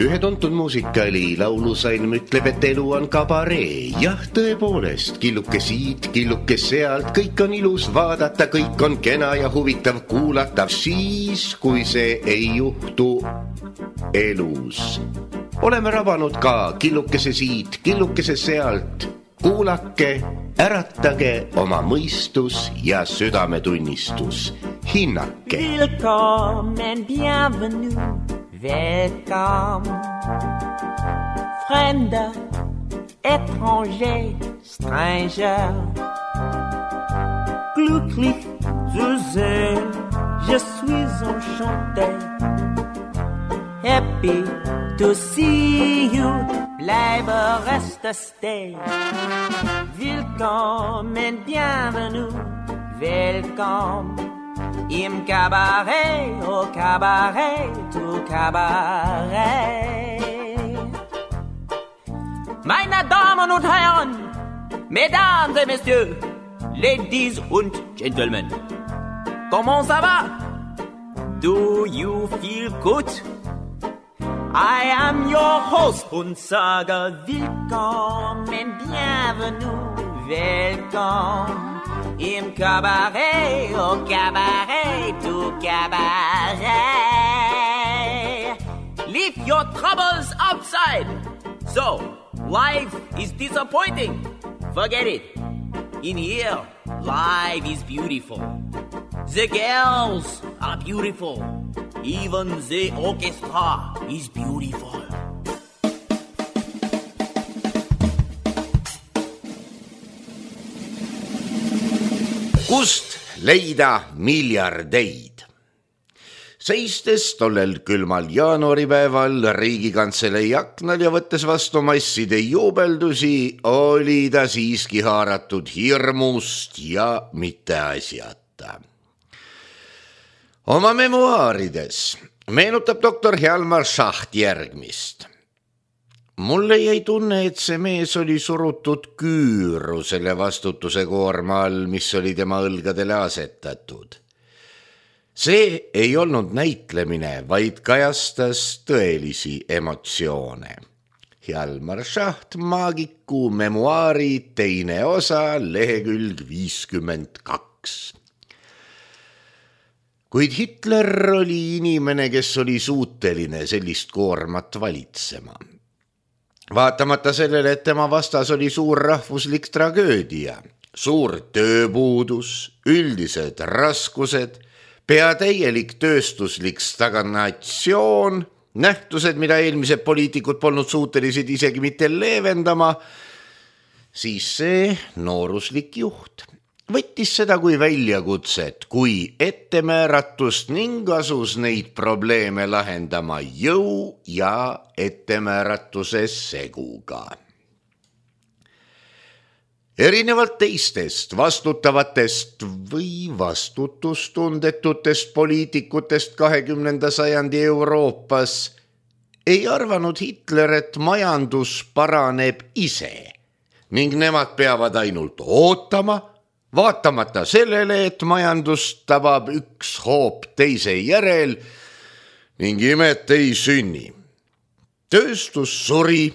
Ühe tuntud muusikali laulusalm ütleb, et elu on kabaree. Jah, tõepoolest, killuke siit, killuke sealt, kõik on ilus vaadata, kõik on kena ja huvitav kuulata, siis kui see ei juhtu elus. Oleme rabanud ka killukese siit, killukese sealt. Kuulake, äratage oma mõistus ja südametunnistus. Hinnake. Willkommen, bienvenue. Welcome, Fremder, étranger, stranger. Glücklich zu sehen, je suis enchanté. Happy to see you, bleibe, reste, stay. Willkommen, bienvenue, welcome. Im Cabaret, au Cabaret, tout Cabaret. Meine Damen und Herren, Mesdames et Messieurs, Ladies und Gentlemen, comment ça va? Do you feel good? I am your host und sage willkommen, bienvenue, welcome. Im Cabaret, au Cabaret, tout Cabaret. Leave your troubles outside. So, life is disappointing. Forget it. In here, life is beautiful. The girls are beautiful. Even the orchestra is beautiful. Kust leida miljardeid? Seistes tollel külmal jaanuaripäeval Riigikantselei aknal ja võttes vastu masside juubeldusi, oli ta siiski haaratud hirmust ja mitte asjata. Oma memuaarides meenutab doktor Hjalmar Schacht järgmist. Mulle jäi tunne, et see mees oli surutud küüru selle vastutuse koorma all, mis oli tema õlgadele asetatud. See ei olnud näitlemine, vaid kajastas tõelisi emotsioone. Hjalmar Schacht, maagiku memuaari teine osa, lehekülg 52. Kuid Hitler oli inimene, kes oli suuteline sellist koormat valitsema. Vaatamata sellele, et tema vastas oli suur rahvuslik tragöödia, suur tööpuudus, üldised raskused, pea täielik tööstuslik stagnatsioon, nähtused, mida eelmised poliitikud polnud suutelised isegi mitte leevendama, siis see nooruslik juht võttis seda kui väljakutset, kui ettemääratust ning asus neid probleeme lahendama jõu ja ettemääratuse seguga. Erinevalt teistest vastutavatest või vastutustundetutest poliitikutest 20. sajandi Euroopas ei arvanud Hitler, et majandus paraneb ise ning nemad peavad ainult ootama, vaatamata sellele, et majandust tabab üks hoop teise järel ning imet ei sünni. Tööstus suri,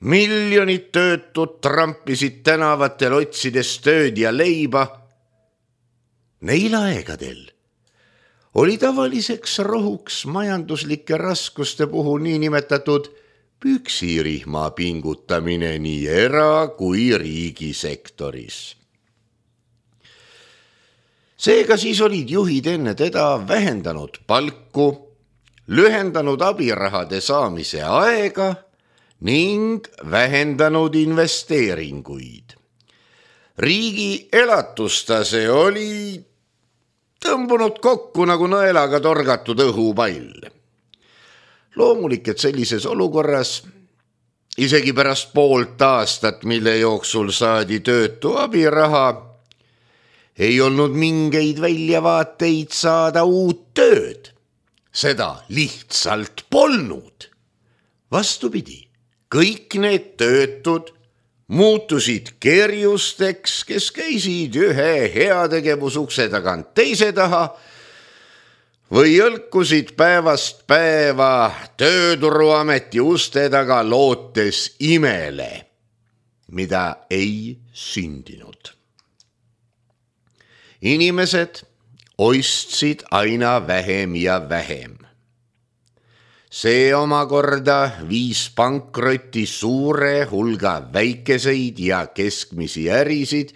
miljonid töötud trampisid tänavatel otsides tööd ja leiba. Neil aegadel oli tavaliseks rohuks majanduslike raskuste puhul niinimetatud püksirihma pingutamine nii era- kui riigisektoris. Seega siis olid juhid enne teda vähendanud palku, lühendanud abirahade saamise aega ning vähendanud investeeringuid. Riigi elatustase oli tõmbunud kokku nagu nõelaga torgatud õhupall. Loomulik, et sellises olukorras, isegi pärast poolt aastat, mille jooksul saadi töötu abiraha, ei olnud mingeid väljavaateid saada uut tööd. Seda lihtsalt polnud. Vastupidi, kõik need töötud muutusid kerjusteks, kes käisid ühe heategevusukse tagant teise taha, või jõlkusid päevast päeva tööturuameti uste taga lootes imele, mida ei sündinud. Inimesed ostsid aina vähem ja vähem. See omakorda viis pankrotti suure hulga väikeseid ja keskmisi ärisid,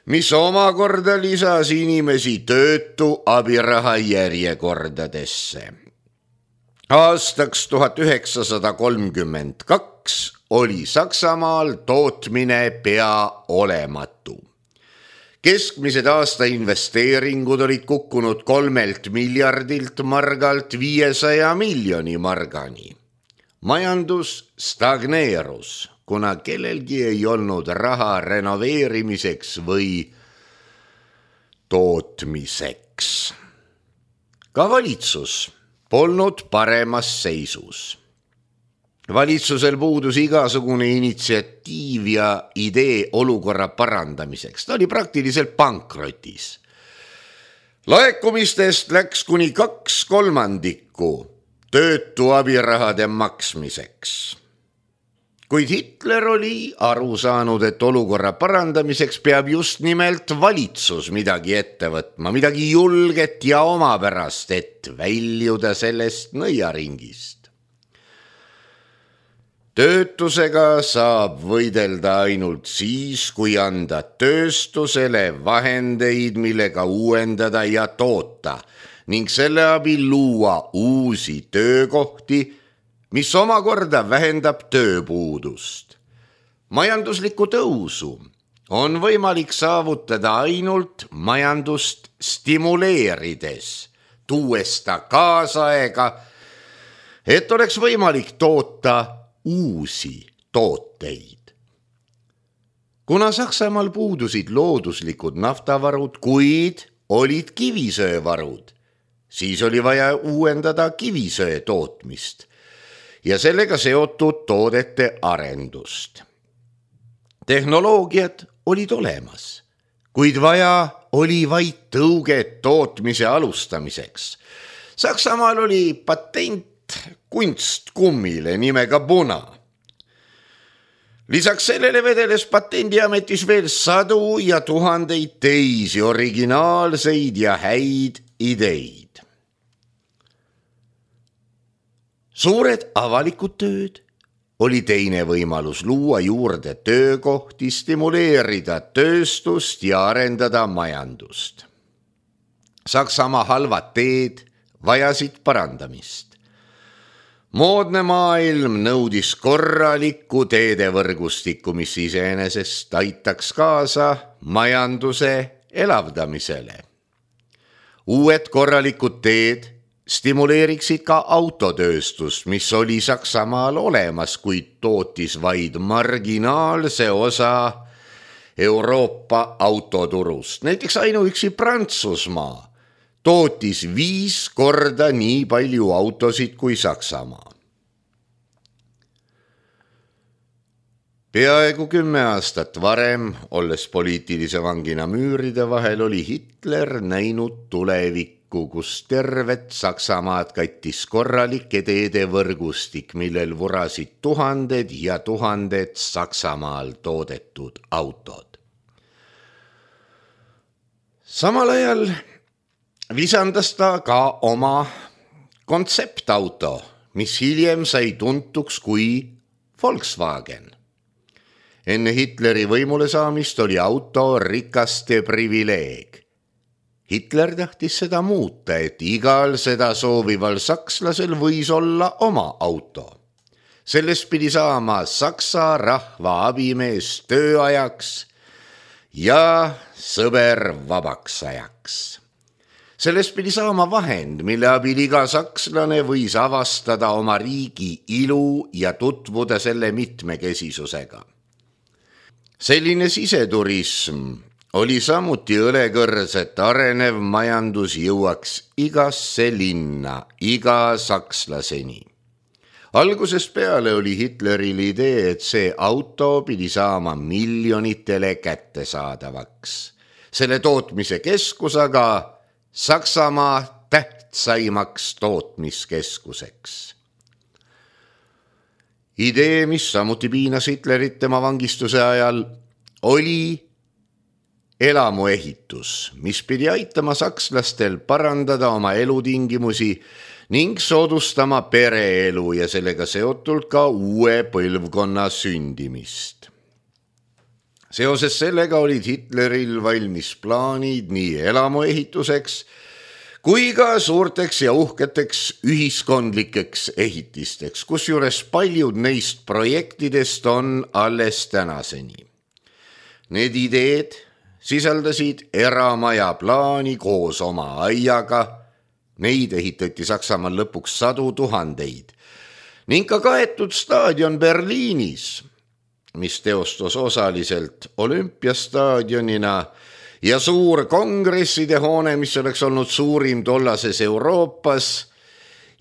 mis omakorda lisas inimesi töötu abiraha järjekordadesse. Aastaks 1932 oli Saksamaal tootmine pea olematu. Keskmised aasta investeeringud olid kukkunud 3 miljardilt margalt 500 miljoni margani. Majandus stagneerus, kuna kellelgi ei olnud raha renoveerimiseks või tootmiseks. Ka valitsus polnud paremas seisus. Valitsusel puudus igasugune initsiatiiv ja idee olukorra parandamiseks. Ta oli praktiliselt pankrotis. Laekumistest läks kuni 2/3 töötu abirahade maksmiseks. Kuid Hitler oli aru saanud, et olukorra parandamiseks peab just nimelt valitsus midagi ette võtma, midagi julget ja omapärast, et väljuda sellest nõiaringist. Töötusega saab võidelda ainult siis, kui anda tööstusele vahendeid, millega uuendada ja toota ning selle abil luua uusi töökohti, mis omakorda vähendab tööpuudust. Majanduslikku tõusu on võimalik saavutada ainult majandust stimuleerides, tuues ta kaasaega, et oleks võimalik toota uusi tooteid. Kuna Saksamaal puudusid looduslikud naftavarud, kuid olid kivisöövarud, siis oli vaja uuendada kivisöö tootmist ja sellega seotud toodete arendust. Tehnoloogiad olid olemas, kuid vaja oli vaid tõuget tootmise alustamiseks. Saksamaal oli patent kunstkummile nimega Buna. Lisaks sellele vedeles patendiametis veel sadu ja tuhandeid teisi originaalseid ja häid ideid. Suured avalikud tööd oli teine võimalus luua juurde töökohti, stimuleerida tööstust ja arendada majandust. Saksamaa halvad teed vajasid parandamist. Moodne maailm nõudis korralikku teedevõrgustikku, mis iseenesest aitaks kaasa majanduse elavdamisele. Uued korralikud teed stimuleeriksid ka autotööstust, mis oli Saksamaal olemas, kuid tootis vaid marginaalse osa Euroopa autoturust. Näiteks ainuüksi Prantsusmaa tootis 5 korda nii palju autosid kui Saksamaa. Peaaegu 10 aastat varem, olles poliitilise vangina müüride vahel, oli Hitler näinud tulevikku, kus tervet Saksamaad kattis korralik teedevõrgustik, millel vurasid tuhanded ja tuhanded Saksamaal toodetud autod. Samal ajal visandas ta ka oma kontseptauto, mis hiljem sai tuntuks kui Volkswagen. Enne Hitleri võimule saamist oli auto rikaste privileeg. Hitler tahtis seda muuta, et igal seda soovival sakslasel võis olla oma auto. Sellest pidi saama Saksa rahva abimees tööajaks ja sõber vabaks ajaks. Sellest pidi saama vahend, mille abil iga sakslane võis avastada oma riigi ilu ja tutvuda selle mitmekesisusega. Selline siseturism oli samuti õlekõrs, et arenev majandus jõuaks igasse linna, iga sakslaseni. Algusest peale oli Hitleril idee, et see auto pidi saama miljonitele kättesaadavaks. Selle tootmise keskus aga Saksamaa tähtsaimaks tootmiskeskuseks. Idee, mis samuti piinas Hitlerit tema vangistuse ajal, oli elamuehitus, mis pidi aitama sakslastel parandada oma elutingimusi ning soodustama pereelu ja sellega seotult ka uue põlvkonna sündimist. Seoses sellega olid Hitleril valmis plaanid nii elamuehituseks kui ka suurteks ja uhketeks ühiskondlikeks ehitisteks, kusjuures paljud neist projektidest on alles tänaseni. Need ideed sisaldasid eramaja plaani koos oma aiaga, neid ehitati Saksamaal lõpuks 100 000, ning ka kaetud staadion Berliinis, mis teostus osaliselt olümpiastaadionina, ja suur kongresside hoone, mis oleks olnud suurim tollases Euroopas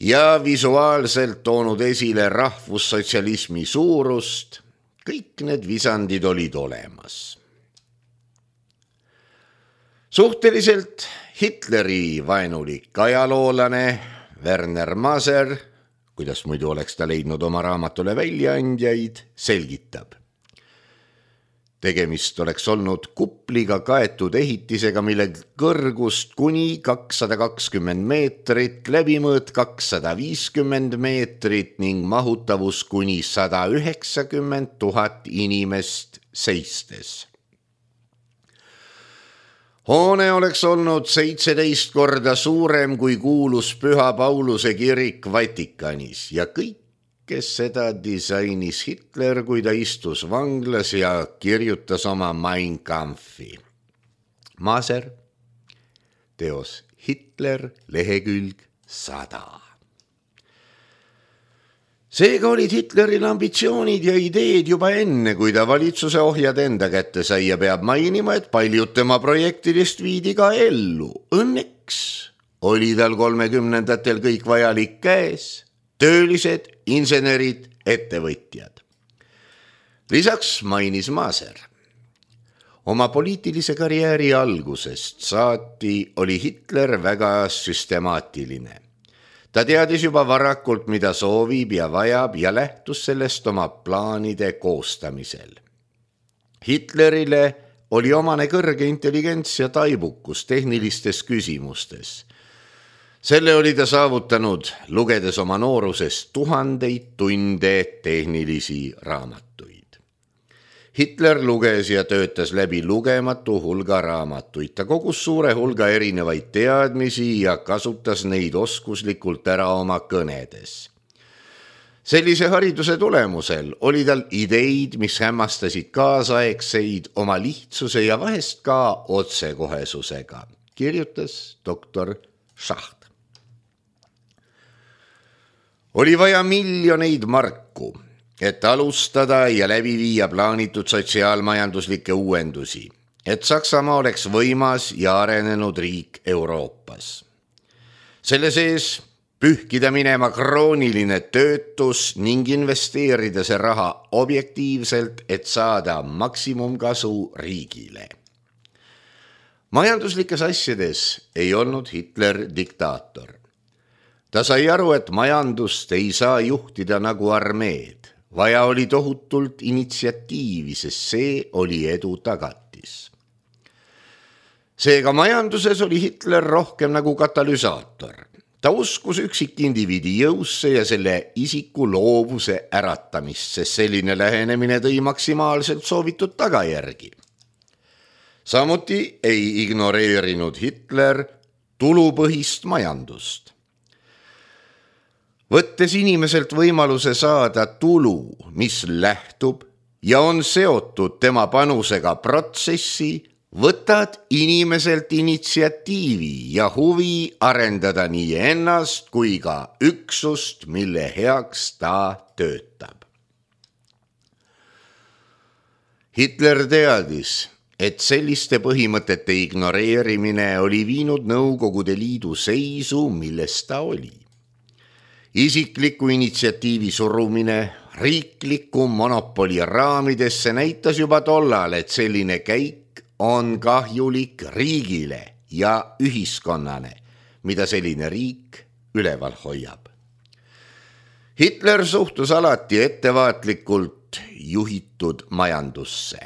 ja visuaalselt toonud esile rahvussotsialismi suurust, kõik need visandid olid olemas. Suhteliselt Hitleri vaenulik ajaloolane Werner Maser, kuidas muidu oleks ta leidnud oma raamatule väljaandjaid, selgitab. Tegemist oleks olnud kupliga kaetud ehitisega, mille kõrgust kuni 220 meetrit, läbimõõt 250 meetrit ning mahutavus kuni 190 000 inimest seistes. Hoone oleks olnud 17 korda suurem kui kuulus Püha Pauluse kirik Vatikanis ja kõik, kes seda disainis Hitler, kui ta istus vanglas ja kirjutas oma Mein Kampfi. Maser, teos Hitler, lehekülg 100. Seega olid Hitleril ambitsioonid ja ideed juba enne, kui ta valitsuse ohjad enda kätte sai ja peab mainima, et paljud tema projektidest viidi ka ellu. Õnneks oli tal 30ndatel kõik vajalik käes, töölised, insenerid, ettevõtjad. Lisaks mainis Maser. Oma poliitilise karjääri algusest saati oli Hitler väga süstemaatiline. Ta teadis juba varakult, mida soovib ja vajab ja lähtus sellest oma plaanide koostamisel. Hitlerile oli omane kõrge intelligents ja taibukus tehnilistes küsimustes. Selle oli ta saavutanud, lugedes oma noorusest 1000 tunde tehnilisi raamatuid. Hitler luges ja töötas läbi lugematu hulga raamatuid. Ta kogus suure hulga erinevaid teadmisi ja kasutas neid oskuslikult ära oma kõnedes. Sellise hariduse tulemusel oli tal ideid, mis hämmastasid kaasaegseid oma lihtsuse ja vahest ka otsekohesusega, kirjutas doktor Schacht. Oli vaja miljoneid marku, et alustada ja läbi viia plaanitud sotsiaalmajanduslikke uuendusi, et Saksamaa oleks võimas ja arenenud riik Euroopas. Selle sees pühkida minema krooniline töötus ning investeerida see raha objektiivselt, et saada maksimumkasu riigile. Majanduslikes asjades ei olnud Hitler diktaator. Ta sai aru, et majandust ei saa juhtida nagu armeed. Vaja oli tohutult initsiatiivi, sest see oli edu tagatis. Seega majanduses oli Hitler rohkem nagu katalüsaator. Ta uskus üksikindiviidi jõusse ja selle isiku loovuse äratamist, sest selline lähenemine tõi maksimaalselt soovitud tagajärgi. Samuti ei ignoreerinud Hitler tulupõhist majandust. Võttes inimeselt võimaluse saada tulu, mis lähtub ja on seotud tema panusega protsessi, võtad inimeselt initsiatiivi ja huvi arendada nii ennast kui ka üksust, mille heaks ta töötab. Hitler teadis, et selliste põhimõtete ignoreerimine oli viinud Nõukogude Liidu seisu, milles ta oli. Isikliku initsiatiivi surumine riikliku monopoli raamidesse näitas juba tollal, et selline käik on kahjulik riigile ja ühiskonnale, mida selline riik üleval hoiab. Hitler suhtus alati ettevaatlikult juhitud majandusse.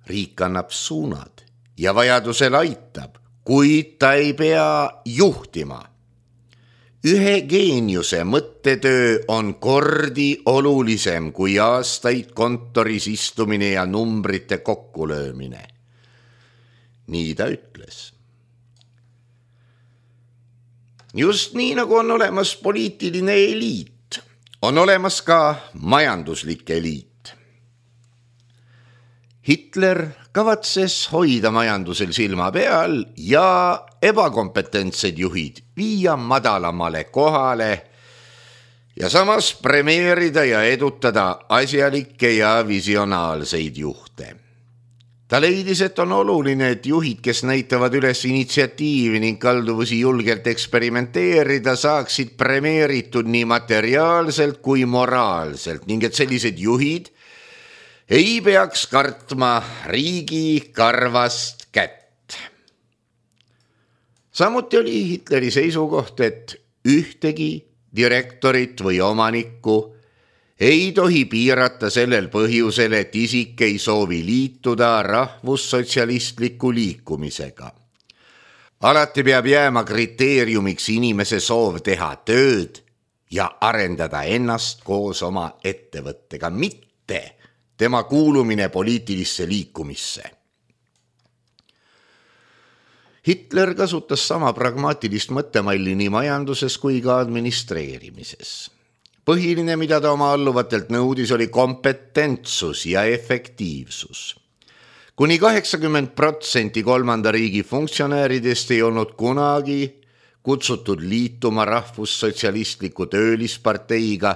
Riik annab suunad ja vajadusel aitab, kuid ta ei pea juhtima. Ühe geeniuse mõttetöö on kordi olulisem kui aastaid kontoris istumine ja numbrite kokkulöömine. Nii ta ütles. Just nii, nagu on olemas poliitiline eliit, on olemas ka majanduslik eliit. Hitler kavatses hoida majandusel silma peal ja ebakompetentsed juhid viia madalamale kohale ja samas premeerida ja edutada asjalikke ja visionaalseid juhte. Ta leidis, et on oluline, et juhid, kes näitavad üles initsiatiivi ning kalduvusi julgelt eksperimenteerida, saaksid premeeritud nii materiaalselt kui moraalselt ning et sellised juhid ei peaks kartma riigi karvast kätt. Samuti oli Hitleri seisukoht, et ühtegi direktorit või omanikku ei tohi piirata sellel põhjusel, et isik ei soovi liituda rahvussotsialistliku liikumisega. Alati peab jääma kriteeriumiks inimese soov teha tööd ja arendada ennast koos oma ettevõttega, mitte tema kuulumine poliitilisse liikumisse. Hitler kasutas sama pragmaatilist mõttemalli nii majanduses kui ka administreerimises. Põhiline, mida ta oma alluvatelt nõudis, oli kompetentsus ja efektiivsus. Kuni 80% kolmanda riigi funktsionääridest ei olnud kunagi kutsutud liituma rahvussotsialistliku töölisparteiga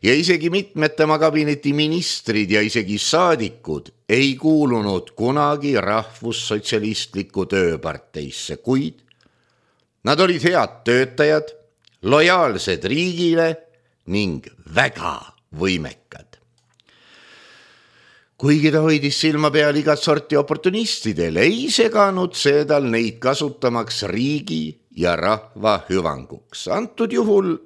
ja isegi mitmed tema kabineti ministrid ja isegi saadikud ei kuulunud kunagi rahvussotsialistliku tööparteisse, kuid nad olid head töötajad, lojaalsed riigile ning väga võimekad. Kuigi ta hoidis silma peal igat sorti oportunistidel, ei seganud see tal neid kasutamaks riigi ja rahva hüvanguks. Antud juhul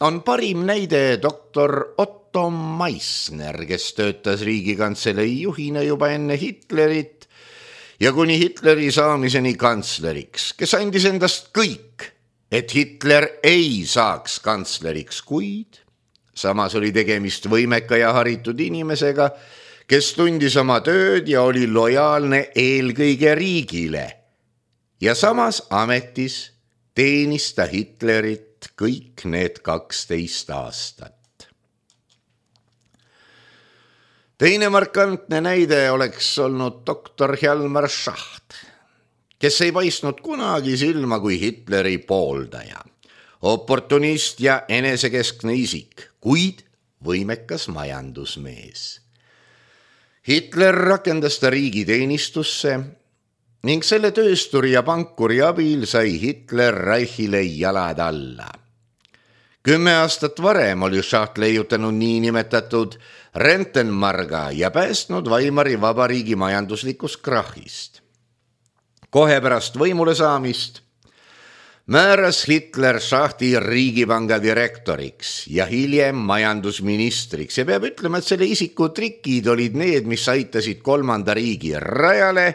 on parim näide doktor Otto Meissner, kes töötas Riigikantselei juhina juba enne Hitlerit ja kuni Hitleri saamiseni kantsleriks, kes andis endast kõik, et Hitler ei saaks kantsleriks, kuid samas oli tegemist võimeka ja haritud inimesega, kes tundis oma tööd ja oli lojaalne eelkõige riigile. Ja samas ametis teenis ta Hitlerit kõik need 12 aastat. Teine markantne näide oleks olnud doktor Hjalmar Schacht, kes ei paistnud kunagi silma kui Hitleri pooldaja. Oportunist ja enesekeskne isik, kuid võimekas majandusmees. Hitler rakendas ta riigiteenistusse ning selle töösturi ja pankuri abil sai Hitler Reichile jalad alla. 10 aastat varem oli Schacht leiutanud niinimetatud Rentenmarga ja päästnud Weimari vabariigi majanduslikust krahhist. Kohe pärast võimule saamist määras Hitler Schachti riigipanga direktoriks ja hiljem majandusministriks ja peab ütlema, et selle isiku trikid olid need, mis aitasid kolmanda riigi rajale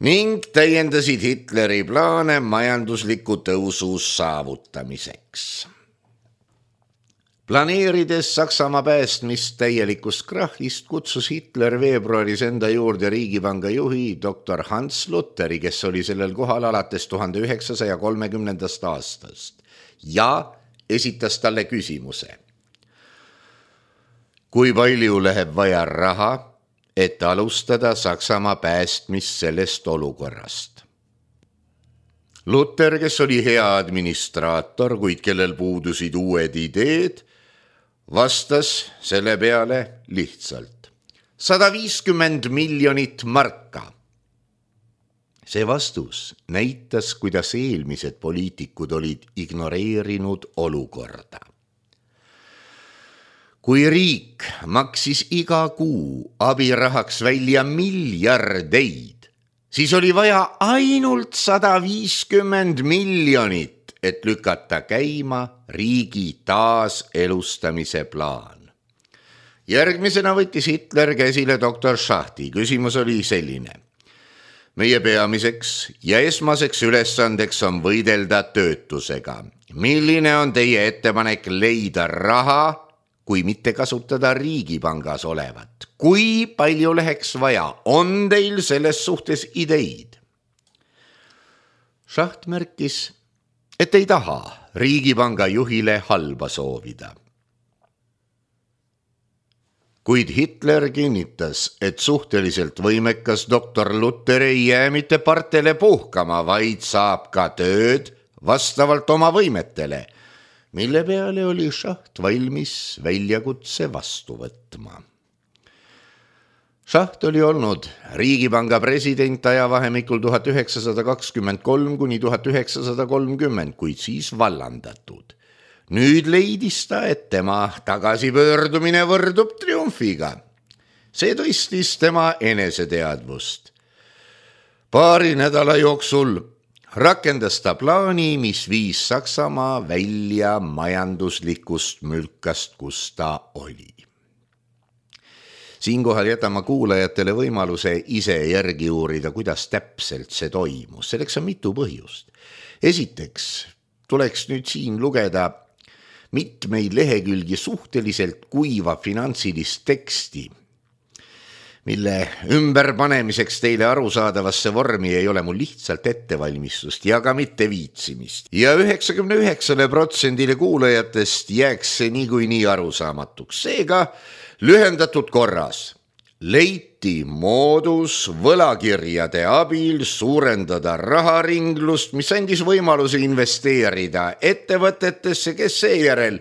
ning täiendasid Hitleri plaane majandusliku tõusu saavutamiseks. Planeerides Saksamaa päästmist täielikust krahhist, kutsus Hitler veebruaris enda juurde riigipanga juhi doktor Hans Lutheri, kes oli sellel kohal alates 1930. aastast ja esitas talle küsimuse. Kui palju läheb vaja raha, et alustada Saksamaa päästmist sellest olukorrast? Luther, kes oli hea administraator, kuid kellel puudusid uued ideed, vastas selle peale lihtsalt 150 miljonit marka. See vastus näitas, kuidas eelmised poliitikud olid ignoreerinud olukorda. Kui riik maksis iga kuu abirahaks välja miljardeid, siis oli vaja ainult 150 miljonit, et lükata käima riigi taaselustamise plaan. Järgmisena võttis Hitler käsile doktor Schachti. Küsimus oli selline. Meie peamiseks ja esmaseks ülesandeks on võidelda töötusega. Milline on teie ettepanek leida raha, kui mitte kasutada riigipangas olevat? Kui palju läheks vaja? On teil selles suhtes ideid? Schacht märkis, et ei taha riigipanga juhile halba soovida. Kuid Hitler kinnitas, et suhteliselt võimekas doktor Luther ei jää mitte partele puhkama, vaid saab ka tööd vastavalt oma võimetele, mille peale oli Schacht valmis väljakutse vastu võtma. Schacht oli olnud riigipanga president ajavahemikul 1923 kuni 1930, kuid siis vallandatud. Nüüd leidis ta, et tema tagasipöördumine võrdub triumfiga. See tõstis tema eneseteadvust. Paari nädala jooksul rakendas ta plaani, mis viis Saksamaa välja majanduslikust mülkast, kus ta oli. Siinkohal jätame kuulajatele võimaluse ise järgi uurida, kuidas täpselt see toimus. Selleks on mitu põhjust. Esiteks tuleks nüüd siin lugeda mitmeid lehekülgi suhteliselt kuiva finantsilist teksti, mille ümberpanemiseks teile arusaadavasse vormi ei ole mul lihtsalt ettevalmistust ja ka mitte viitsimist. Ja 99% kuulajatest jääks see niikuinii arusaamatuks. Seega lühendatud korras leiti moodus võlakirjade abil suurendada raharinglust, mis andis võimaluse investeerida ettevõtetesse, kes seejärel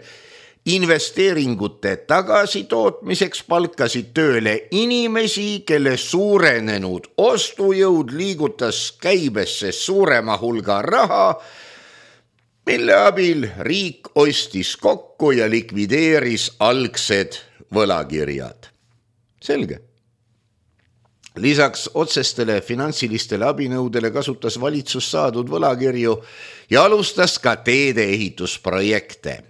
investeeringute tagasitootmiseks palkasid tööle inimesi, kelle suurenenud ostujõud liigutas käibesse suurema hulga raha, mille abil riik ostis kokku ja likvideeris algsed võlakirjad. Selge. Lisaks otsestele finantsilistele abinõudele kasutas valitsus saadud võlakirju ja alustas ka teede ehitusprojekte,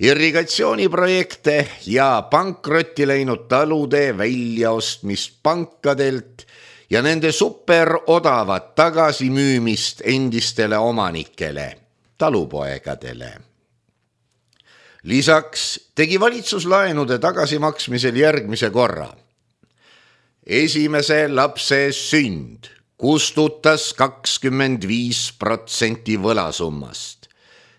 irrigatsiooniprojekte ja pankrotti läinud talude väljaostmist pankadelt ja nende superodavat tagasimüümist endistele omanikele, talupoegadele. Lisaks tegi valitsus laenude tagasimaksmisel järgmise korra. Esimese lapse sünd kustutas 25% võlasummast.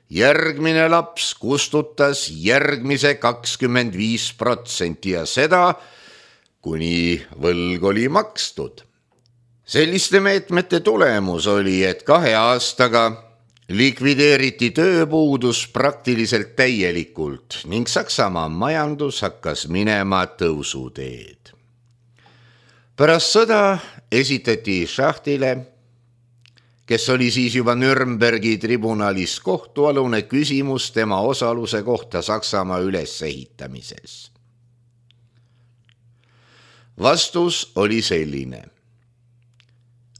Järgmine laps kustutas järgmise 25% ja seda, kuni võlg oli makstud. Selliste meetmete tulemus oli, et 2 aastaga likvideeriti tööpuudus praktiliselt täielikult ning Saksamaa majandus hakkas minema tõusuteed. Pärast sõda esitati Schachtile, kes oli siis juba Nürnbergi tribunalis kohtualune, küsimus tema osaluse kohta Saksamaa ülesehitamises. Vastus oli selline.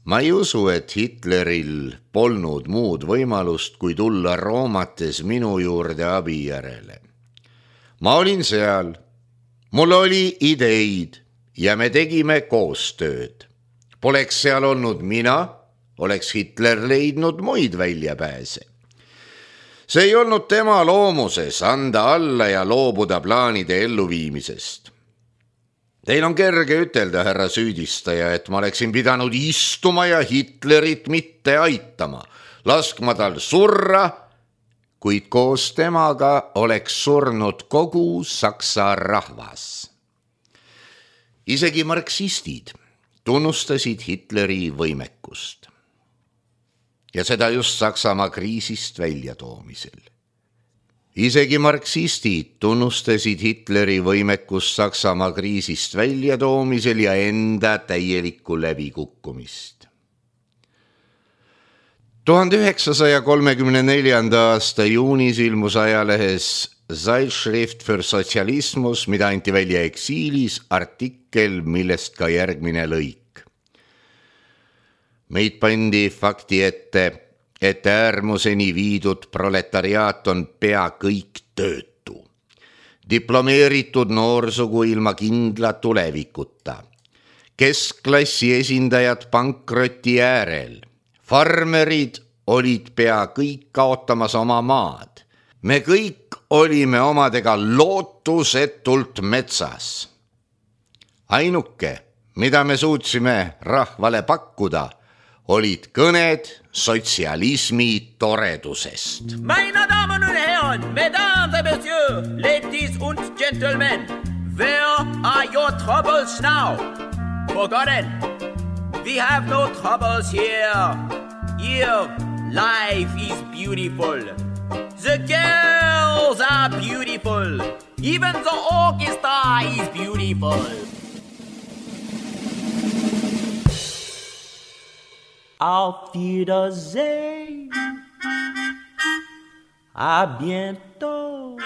Ma ei usu, et Hitleril polnud muud võimalust, kui tulla Roomates minu juurde abi järele. Ma olin seal, mul oli ideid ja me tegime koostööd. Poleks seal olnud mina, oleks Hitler leidnud muid väljapääse. See ei olnud tema loomuses anda alla ja loobuda plaanide elluviimisest. Teil on kerge ütelda, härra süüdistaja, et ma oleksin pidanud istuma ja Hitlerit mitte aitama, laskma tal surra, kuid koos temaga oleks surnud kogu Saksa rahvas. Isegi marksistid tunnustasid Hitleri võimekust. Ja seda just Saksamaa kriisist väljatoomisel. Isegi marksistid tunnustasid Hitleri võimekust Saksamaa kriisist väljatoomisel ja enda täielikku läbikukkumist. 1934. aasta juunis ilmus ajalehes Zeitschrift für Sozialismus, mida anti välja eksiilis, artikkel, millest ka järgmine lõik. Meid pandi fakti ette, et äärmuseni viidud proletariaat on pea kõik töötu. Diplomeeritud noorsugu ilma kindla tulevikuta. Keskklassi esindajad pankroti äärel. Farmerid olid pea kõik kaotamas oma maad. Me kõik olime omadega lootusetult metsas. Ainuke, mida me suutsime rahvale pakkuda, olid kõned sotsialismi toredusest. Meine Damen und Herren, Mesdames et Messieurs, ladies und gentlemen, where are your troubles now? Forgotten, we have no troubles here. Here, life is beautiful. The girls are beautiful. Even the orchestra is beautiful. Auf Wiedersehen. À bientôt.